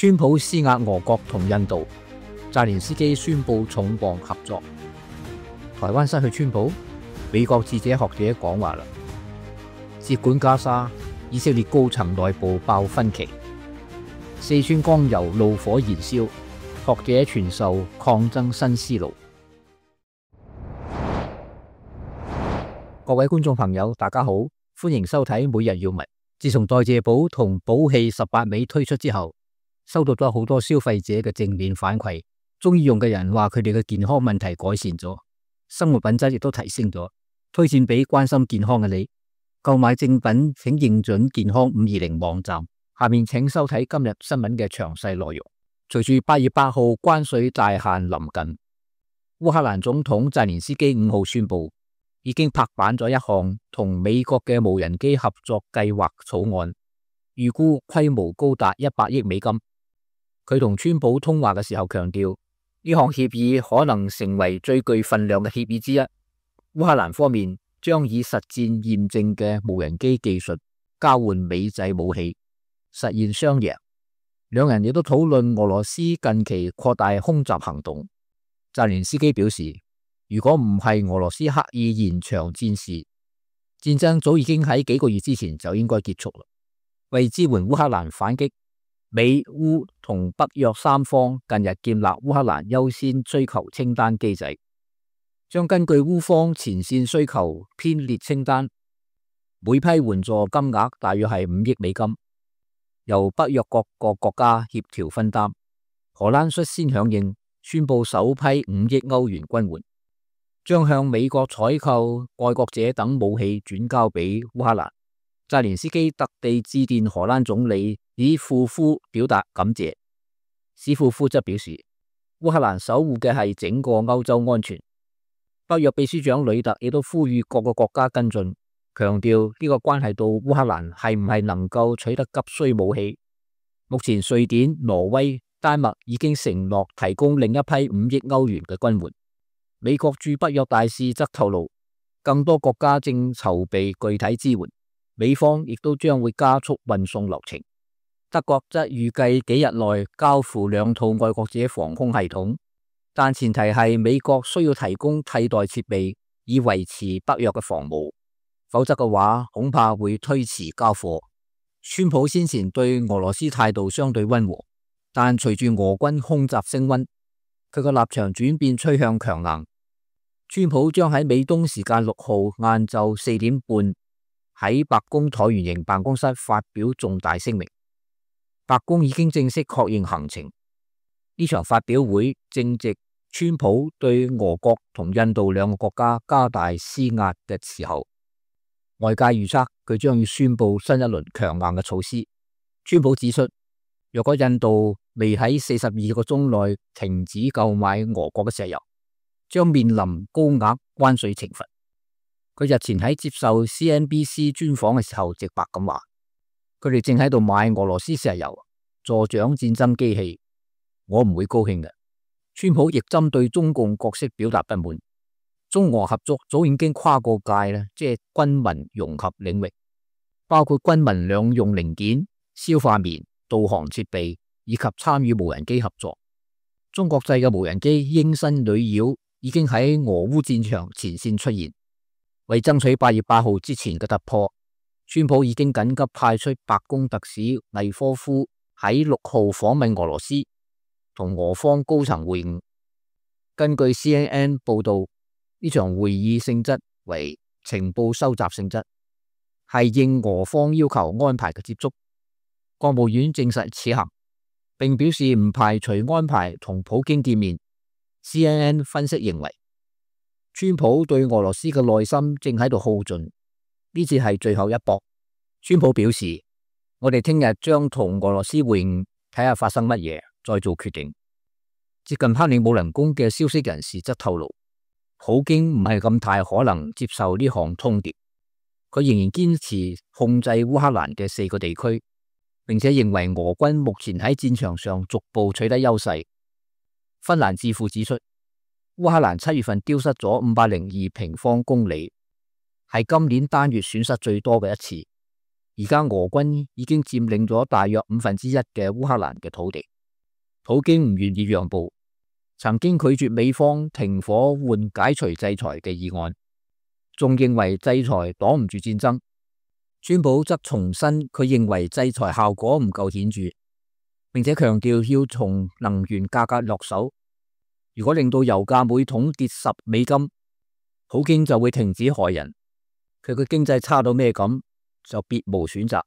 川普施壓俄國同印度，澤連斯基宣布重磅合作。台灣失去川普，美國智者學者講話啦。接管加沙，以色列高層內部爆分歧。四川江油怒火燃燒，學者傳授抗爭新思路。各位觀眾朋友，大家好，歡迎收睇每日要聞。自從代謝寶同寶氣18味推出之後，收到咗好多消費者嘅正面反饋，中意用嘅人話佢哋嘅健康問題改善咗，生活品質亦都提升咗，推薦俾關心健康嘅你。購買正品請認準健康520網站。下面請收睇今日新聞嘅詳細內容。隨住8月8號關稅大限臨近，烏克蘭總統澤連斯基5號宣布，已經拍板咗一項同美國嘅無人機合作計劃草案，預估規模高達100億美金。佢同川普通話嘅時候強調，呢項協議可能成為最具分量嘅協議之一。烏克蘭方面將以實戰驗證嘅無人機技術交換美製武器，實現雙贏。兩人亦都討論俄羅斯近期擴大空襲行動。澤連斯基表示，如果唔係俄羅斯刻意延長戰事，戰爭早已經喺幾個月之前就應該結束啦。為支援烏克蘭反擊，美烏同北約三方近日建立烏克蘭優先需求清單機制，將根據烏方前線需求編列清單，每批援助金額大約係5億美金，由北約各個國家協調分擔。荷蘭率先響應，宣布首批5億歐元軍援，將向美國採購愛國者等武器轉交俾烏克蘭。澤連斯基特地致電荷蘭總理史庫夫表達感謝。史庫夫則表示，烏克蘭守護嘅係整個歐洲安全。北約秘書長呂特亦都呼籲各個國家跟進，強調呢個關係到烏克蘭係唔係能夠取得急需武器。目前瑞典、挪威、丹麥已經承諾提供另一批5億歐元嘅軍援。美國駐北約大使則透露，更多國家正籌備具體支援，美方亦都將會加速運送流程。德國則預計幾日內交付2套愛國者防空系統，但前提係美國需要提供替代設備以維持北約嘅防務，否則嘅話恐怕會推遲交貨。川普先前對俄羅斯態度相對溫和，但隨住俄軍空襲升溫，佢個立場轉變趨向強硬。川普將喺美東時間6號晏晝4點半喺白宮橢圓形辦公室發表重大聲明。白宮已經正式確認行程。呢場發表會正值川普對俄國同印度兩個國家加大施壓嘅時候，外界預測佢將要宣布新一輪強硬嘅措施。川普指出，若果印度未喺42個鐘內停止購買俄國嘅石油，將面臨高額關稅懲罰。佢日前喺接受 CNBC 專訪嘅時候，直白咁話，佢哋正喺度買俄羅斯石油，助長戰爭機器，我唔會高興嘅。川普亦針對中共角色表達不滿。中俄合作早已經跨過界啦，即係軍民融合領域，包括軍民兩用零件、消化棉、導航設備以及參與無人機合作。中國製嘅無人機鷹身女妖已經喺俄烏戰場前線出現。為爭取8月8號之前嘅突破，川普已經緊急派出白宮特使魏科夫喺6號訪問俄羅斯，同俄方高層會晤。根據 CNN 報道，呢場會議性質為情報收集性質，係應俄方要求安排嘅接觸。國務院證實此行，並表示唔排除安排同普京見面。CNN 分析認為，川普對俄羅斯嘅耐心正喺度耗盡，呢次係最後一搏。川普表示，我哋聽日將同俄羅斯會晤，睇下發生乜嘢，再做決定。接近克里姆林宮嘅消息人士則透露，普京唔係咁大可能接受呢項通牒，佢仍然堅持控制烏克蘭嘅4個地區，並且認為俄軍目前喺戰場上逐步取得優勢。芬蘭智庫指出，烏克蘭7月份丟失咗502平方公里，係今年單月損失最多嘅一次。而家俄軍已經佔領咗大約1/5嘅烏克蘭嘅土地，普京唔願意讓步，曾經拒絕美方停火換解除制裁嘅議案，仲認為制裁擋唔住戰爭。川普則重申佢認為制裁效果唔夠顯著，並且強調要從能源價格落手。如果令到油價每桶跌$10，普京就會停止害人。佢嘅經濟差到咩咁，就別無選擇。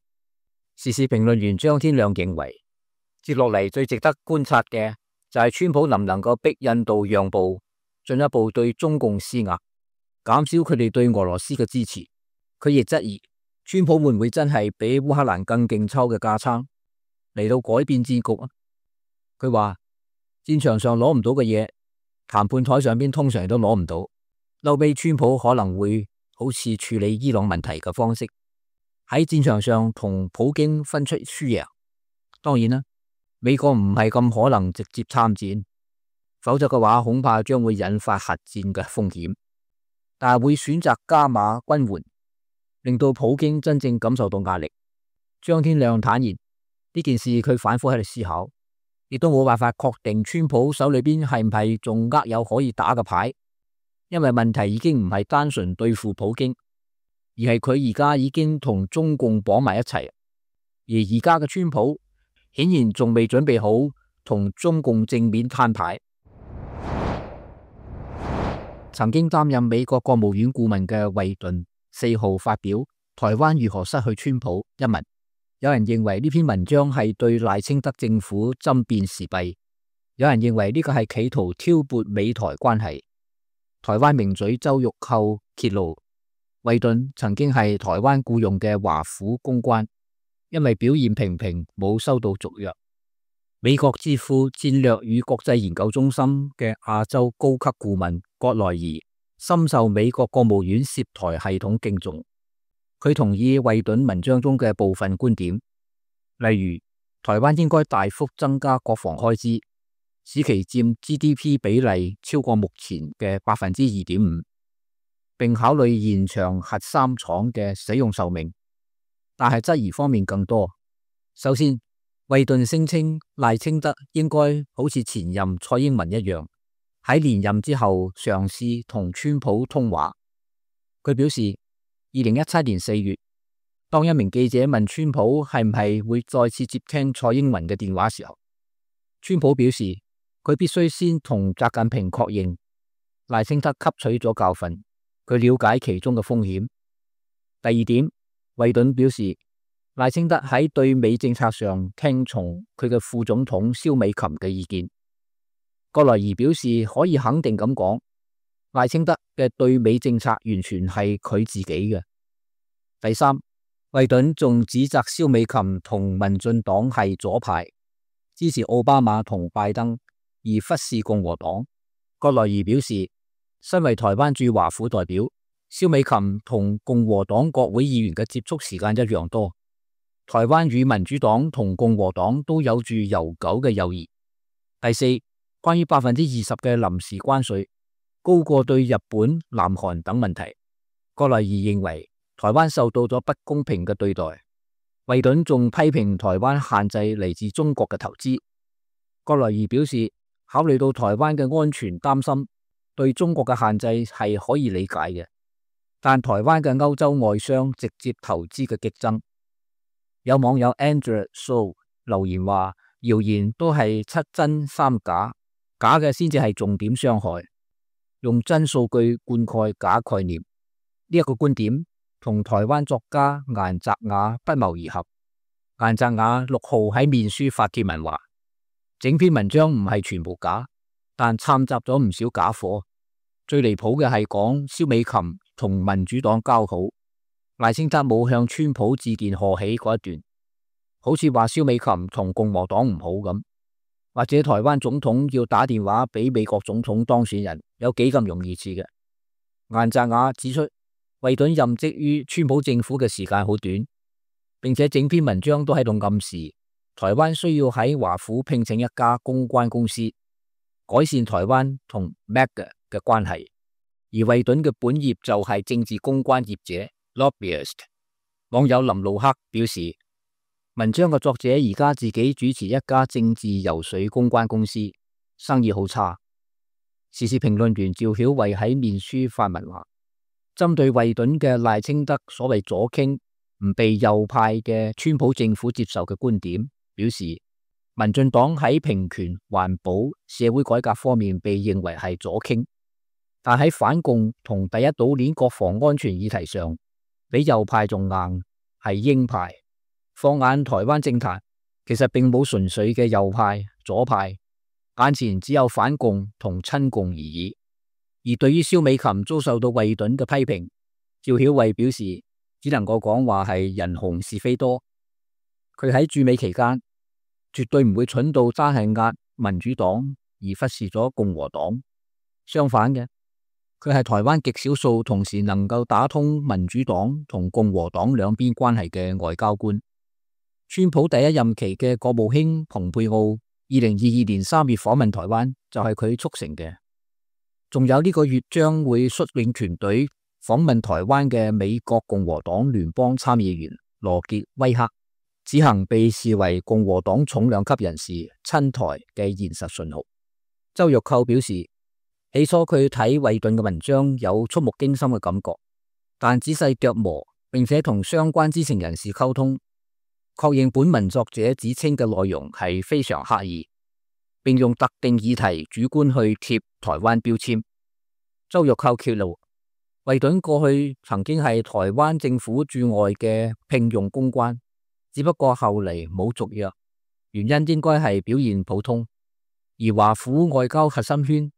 時事評論員張天亮認為，接落嚟最值得觀察嘅就係川普能唔能夠逼印度讓步，進一步對中共施壓，減少佢哋對俄羅斯嘅支持。佢亦質疑川普會唔會真係比烏克蘭更勁抽嘅架撐嚟到改變戰局啊？佢話戰場上攞唔到嘅嘢，談判台上邊通常都攞唔到。後尾川普可能會好似處理伊朗問題嘅方式，喺戰場上同普京分出輸贏。當然啦，美國唔係咁可能直接參戰，否則嘅話恐怕將會引發核戰嘅風險。但係會選擇加碼軍援，令到普京真正感受到壓力。張天亮坦言，呢件事佢反覆喺度思考，亦都冇辦法確定川普手裏邊係唔係仲握有可以打嘅牌，因為問題已經唔係單純對付普京，而係佢而家已經同中共綁埋一齊，而而家嘅川普顯然仲未準備好同中共正面攤牌。曾經擔任美國國務院顧問嘅惠頓4號發表《台灣如何失去川普》一文，有人認為呢篇文章係對賴清德政府針砭時弊，有人認為呢個係企圖挑撥美台關係。台灣名嘴周玉蔻揭露，惠頓曾經係台灣僱用嘅華府公關，因為表現平平冇收到續約。美國智庫戰略與國際研究中心嘅亞洲高級顧問葛萊儀深受美國國務院涉台系統敬重，佢同意惠頓文章中嘅部分觀點，例如台灣應該大幅增加國防開支，使其佔 GDP 比例超過目前嘅 2.5%， 並考慮延長核三廠嘅使用壽命。但係質疑方面更多。首先，惠頓聲稱賴清德應該好似前任蔡英文一樣，喺連任之後嘗試同川普通話。佢表示，2017年4月，當一名記者問川普係唔係會再次接聽蔡英文嘅電話時候，川普表示佢必須先同習近平確認。賴清德吸取咗教訓，佢了解其中嘅風險。第二點，惠頓表示，賴清德喺對美政策上聽從佢嘅副總統蕭美琴嘅意見。葛萊儀表示可以肯定咁講，賴清德嘅對美政策完全係佢自己嘅。第三，惠頓仲指責蕭美琴同民進黨係左派，支持奧巴馬同拜登，而忽視共和黨。葛萊儀表示，身為台灣駐華府代表，蕭美琴同共和黨國會議員嘅接觸時間一樣多。台灣與民主黨同共和黨都有住悠久嘅友誼。第四，關於20%嘅臨時關稅，高過對日本、南韓等問題。葛萊儀認為台灣受到咗不公平嘅對待。惠頓仲批評台灣限制嚟自中國嘅投資。葛萊儀表示，考慮到台灣嘅安全擔心，對中國嘅限制係可以理解嘅，但台灣嘅歐洲外商直接投資嘅激增。有網友 Andrew So 留言話，謠言都係7真3假，假嘅先至係重點傷害，用真數據灌溉假概念。呢一個觀點同台灣作家顏澤雅不謀而合。顏澤雅6號喺面書發帖文話，整篇文章唔係全部假，但摻雜咗唔少假貨。最離譜嘅係講蕭美琴同民主黨交好，賴清德冇向川普致電賀喜嗰一段，好似話蕭美琴同共和黨唔好咁，或者台灣總統要打電話俾美國總統當選人有幾咁容易似嘅。顏澤雅指出，惠頓任職於川普政府嘅時間好短，並且整篇文章都喺度暗示台灣需要喺華府聘請一家公關公司，改善台灣同 MAGA 嘅關係。而惠頓嘅本業就係政治公關業者 lobbyist。網友林路克表示，文章嘅作者而家自己主持一家政治游說公關公司，生意好差。時事評論員趙曉慧喺面書發文話，針對惠頓嘅賴清德所謂左傾唔被右派嘅川普政府接受嘅觀點，表示民進黨喺平權、環保、社會改革方面被認為係左傾，但喺反共同第一島鏈國防安全議題上，比右派仲硬，係鷹派。放眼台灣政壇，其實並冇純粹嘅右派、左派，眼前只有反共同親共而已。而對於蕭美琴遭受到惠頓嘅批評，趙曉慧表示只能夠講話係人紅是非多。佢喺駐美期間絕對唔會蠢到單係壓民主黨而忽視咗共和黨，相反嘅，佢係台灣極少數同時能夠打通民主黨同共和黨兩邊關係嘅外交官。川普第一任期嘅國務卿蓬佩奧2022年3月訪問台灣就係佢促成嘅。仲有呢個月將會率領團隊訪問台灣嘅美國共和黨聯邦參議員羅傑威克，此行被視為共和黨重量級人士親台嘅現實信號。周玉蔻表示，起初佢睇惠頓嘅文章有觸目驚心嘅感覺，但仔細琢磨並且同相關知情人士溝通，確認本文作者指稱嘅內容係非常刻意，並用特定議題主觀去貼台灣標籤。周玉蔻揭露，惠頓過去曾經係台灣政府駐外嘅聘用公關，只不過後嚟冇續約，原因應該係表現普通。而華府外交核心圈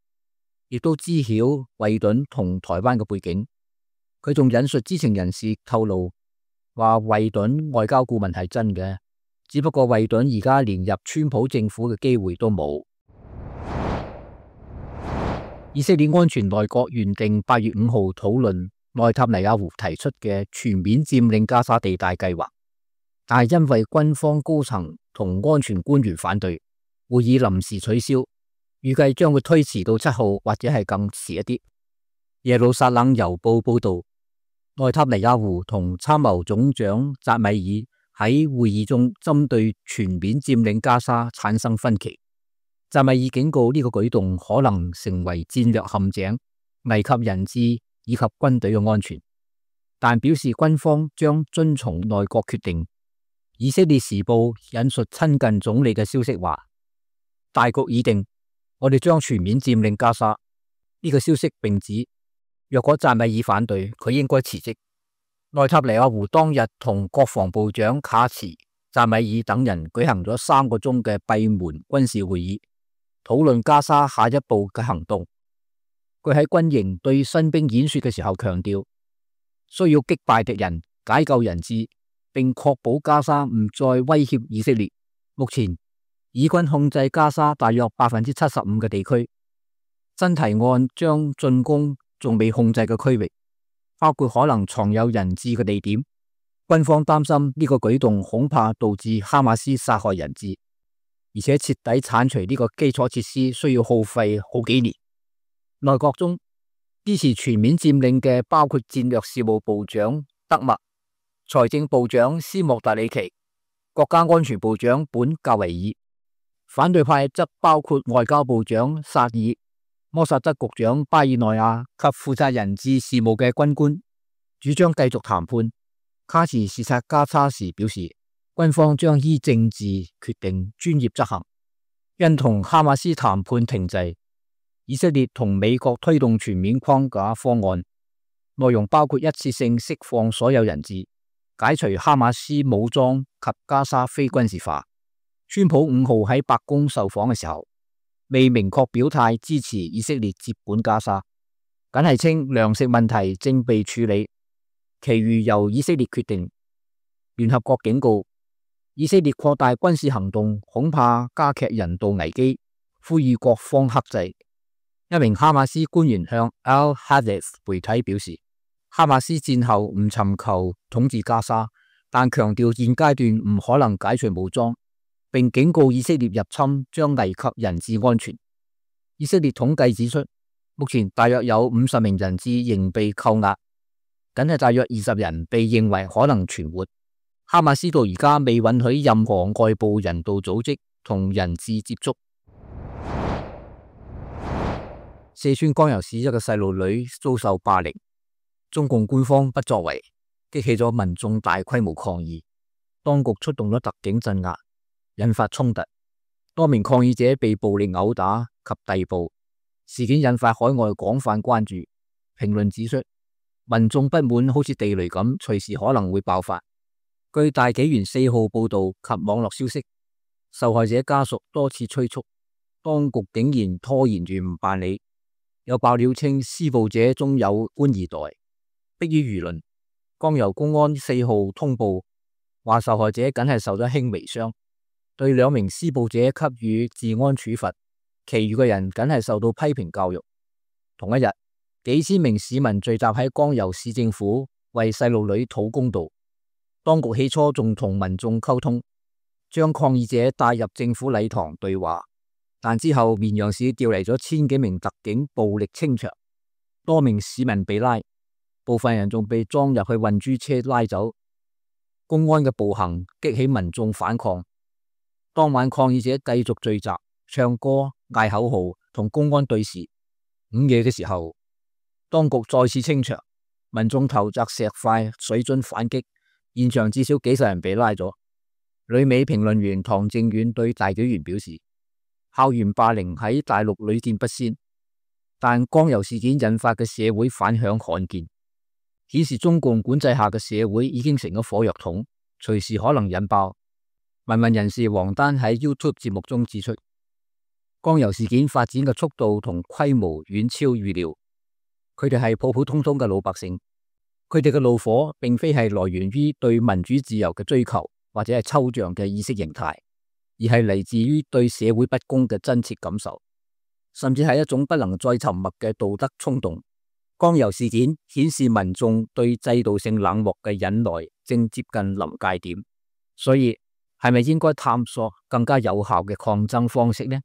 亦都知曉惠頓同台灣嘅背景。佢仲引述知情人士透露，話惠頓外交顧問係真嘅，只不過惠頓而家連入川普政府嘅機會都冇。以色列安全內閣原定8月5號討論內塔尼亞胡提出嘅全面佔領加沙地帶計劃，但係因為軍方高層同安全官員反對，會議臨時取消，預計將會推遲到7號或者係更遲一啲。耶路撒冷郵報報道，內塔尼亞胡同參謀總長扎米爾喺會議中針對全面佔領加沙產生分歧。扎米爾警告呢個舉動可能成為戰略陷阱，危及人質以及軍隊嘅安全，但表示軍方將遵從內閣決定。以色列時報引述親近總理嘅消息話，大局已定，我哋將全面佔領加沙。呢個消息並指，若果扎米爾反對，佢應該辭職。內塔尼亞胡當日同國防部長卡茨、扎米爾等人舉行咗3個鐘嘅閉門軍事會議，討論加沙下一步嘅行動。佢喺軍營對新兵演說嘅時候強調，需要擊敗敵人、解救人質，並確保加沙唔再威脅以色列。目前以軍控制加沙大約75%嘅地區，新提案將進攻仲未控制嘅區域，包括可能藏有人質嘅地點。軍方擔心呢個舉動恐怕導致哈馬斯殺害人質，而且徹底鏟除呢個基礎設施需要耗費好幾年。內閣中支持全面佔領嘅包括戰略事務部長德默、財政部長斯莫特里奇、國家安全部長本格維爾。反對派則包括外交部長薩爾、摩薩德局長巴爾內亞及負責人質事務嘅軍官，主張繼續談判。卡茨視察加沙時表示，軍方將依政治決定專業執行。因同哈馬斯談判停滯，以色列同美國推動全面框架方案，內容包括一次性釋放所有人質，解除哈馬斯武裝及加沙非軍事化。川普5號喺白宮受訪嘅時候，未明確表態支持以色列接管加沙，僅係稱糧食問題正被處理，其餘由以色列決定。聯合國警告，以色列擴大軍事行動恐怕加劇人道危機，呼籲各方克制。一名哈馬斯官員向 Al-Hadith 媒體表示，哈馬斯戰後唔尋求統治加沙，但強調現階段唔可能解除武裝，並警告以色列入侵將危及人質安全。以色列統計指出，目前大約有50名人質仍被扣押。僅係大約20人被認為可能存活。哈馬斯到而家未允許任何外部人道組織同人質接觸。四川江油市一個細路女遭受霸凌，中共官方不作為，激起咗民眾大規模抗議，當局出動咗特警鎮壓，引發衝突，多名抗議者被暴力毆打及逮捕。事件引發海外廣泛關注，評論指出，民眾不滿好似地雷咁，隨時可能會爆發。據大紀元4號報道及網絡消息，受害者家屬多次催促，當局竟然拖延住唔辦理。有爆料稱施暴者中有官二代，迫於輿論，江油公安4號通報話受害者僅係受咗輕微傷，對2名施暴者給予治安處罰，其餘嘅人僅係受到批評教育。同一日，幾千名市民聚集喺江油市政府為細路女討公道。當局起初仲同民眾溝通，將抗議者帶入政府禮堂對話，但之後綿陽市調嚟咗1000幾名特警暴力清場，多名市民被拉，部分人仲被裝入去運輸車拉走。公安嘅暴行激起民眾反抗。當晚抗議者繼續聚集、唱歌、嗌口號同公安對峙。午夜嘅時候，當局再次清場，民眾投擲石塊、水樽反擊。現場至少幾十人被拉咗。旅美評論員唐正遠對大紀元表示，校園霸凌喺大陸屢見不鮮，但江油事件引發嘅社會反響罕見，顯示中共管制下嘅社會已經成咗火藥桶，隨時可能引爆。民運人士王丹喺 YouTube 節目中指出，江油事件發展嘅速度同規模遠超預料，佢哋係普普通通嘅老百姓。佢哋嘅怒火並非係來源於對民主自由嘅追求，或者係抽象嘅意識形態，而係嚟自於對社會不公嘅真切感受，甚至係一種不能再沉默嘅道德衝動。江油事件顯示民眾對制度性冷漠嘅忍耐正接近臨界點，所以係咪應該探索更加有效嘅抗爭方式呢？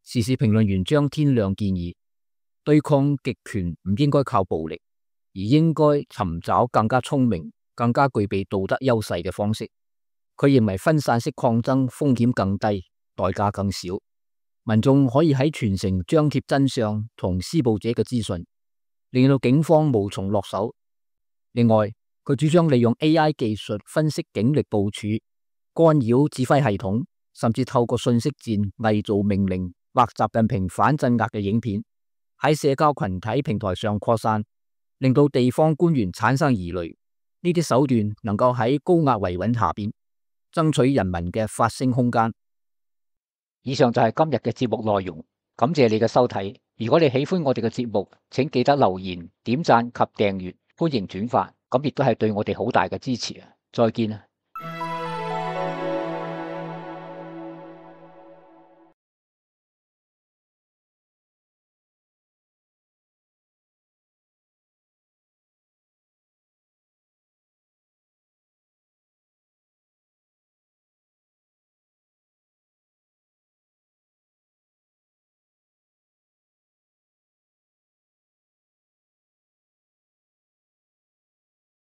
時事評論員張天亮建議，對抗極權唔應該靠暴力，而應該尋找更加聰明、更加具備道德優勢嘅方式。佢認為分散式抗爭風險更低，代價更少。民眾可以喺全城張貼真相同施暴者嘅資訊，令到警方無從落手。另外，佢主張利用 AI 技術分析警力部署、干擾指揮系統，甚至透過信息戰偽造命令或習近平反鎮壓嘅影片喺社交群體平台上擴散，令到地方官員產生疑慮。呢啲手段能夠喺高壓維穩下邊爭取人民嘅發聲空間。以上就係今日嘅節目內容，感謝你嘅收睇。如果你喜歡我哋嘅節目，請記得留言、點讚及訂閱，歡迎轉發，咁亦都係對我哋好大嘅支持啊！再見啊！